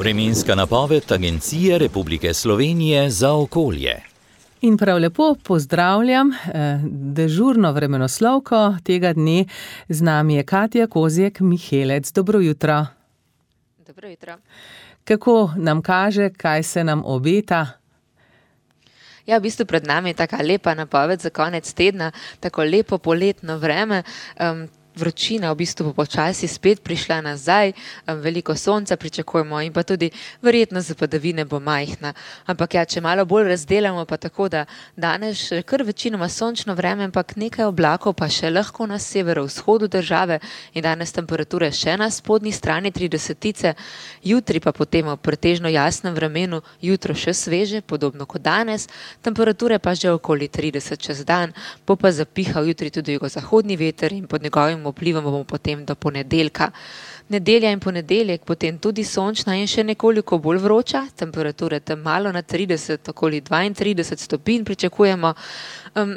Vremenska napoved Agencije Republike Slovenije za okolje. In prav lepo pozdravljam dežurno vremenoslovko tega dne. Z nami je Katja Kozjek-Mihelec. Dobro jutro. Dobro jutro. Kako nam kaže, kaj se nam obeta? Ja, v bistvu pred nami je taka lepa napoved za konec tedna, tako lepo poletno vreme. Vročina v bistvu bo počasi spet prišla nazaj, veliko sonca pričakujemo in pa tudi verjetnost za padavine bo majhna. Ampak ja, če malo bolj razdelamo, pa tako, da danes še kar večinoma sončno vreme, ampak nekaj oblakov pa še lahko na severovzhodu države in danes temperature še na spodnji strani 30-tice, jutri pa potem v pretežno jasnem vremenu, jutro še sveže, podobno kot danes, temperature pa že okoli 30 čez dan, bo pa zapihal jutri tudi jugozahodni veter in pod njegovim vplivom bomo potem do ponedeljka. Nedelja in ponedeljek potem tudi sončna in še nekoliko bolj vroča, temperature tam malo na 30, okoli 32 stopinj pričakujemo.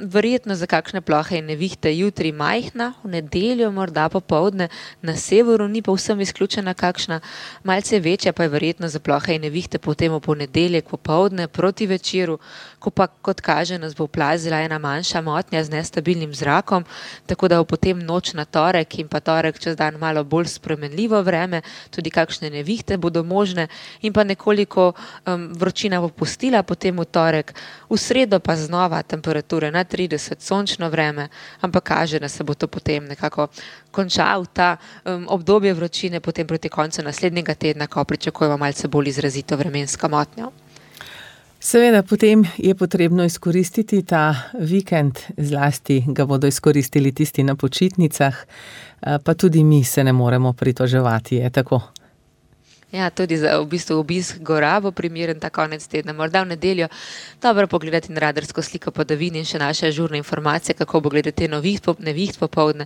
Verjetno za kakšne plohe in nevihte jutri majhna, v nedeljo morda popoldne na severu ni pa vsem izključena kakšna, malce večja pa je verjetno za plohe in nevihte potem v ponedeljek popoldne proti večeru, ko pa kot kaže nas bo plazila ena manjša motnja z nestabilnim zrakom, tako da bo potem noč na torek in pa torek čez dan malo bolj spremenljivo vreme, tudi kakšne nevihte bodo možne in pa nekoliko vročina bo pustila potem v torek, v sredo pa znova temperature na 30, sončno vreme, ampak kaže, da se bo to potem nekako končal ta obdobje vročine potem proti koncu naslednjega tedna, ko pričakujemo malce bolj izrazito vremensko motnjo. Seveda, potem je potrebno izkoristiti ta vikend, zlasti ga bodo izkoristili tisti na počitnicah, pa tudi mi se ne moremo pritoževati, je tako? Ja, tudi za v bistvu obisk gora bo primeren ta konec tedna, morda v nedeljo dobro pogledati na radarsko sliko padavin in še naše žurne informacije, kako bo glede te neviht popoldne.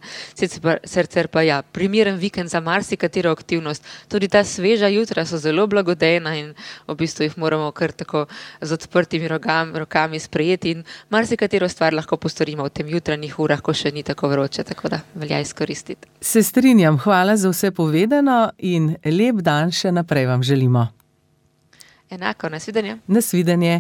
Sicer pa ja, primeren vikend za marsikatero aktivnost. Tudi ta sveža jutra so zelo blagodejna in v bistvu jih moramo kar tako z odprtimi rokami sprejeti in marsikatero stvar lahko postorimo v tem jutranjih urah, ko še ni tako vroče, tako da velja izkoristiti. Se strinjam, hvala za vse povedano in lep dan še naprej vam želimo. Enako, nasvidenje. Nasvidenje.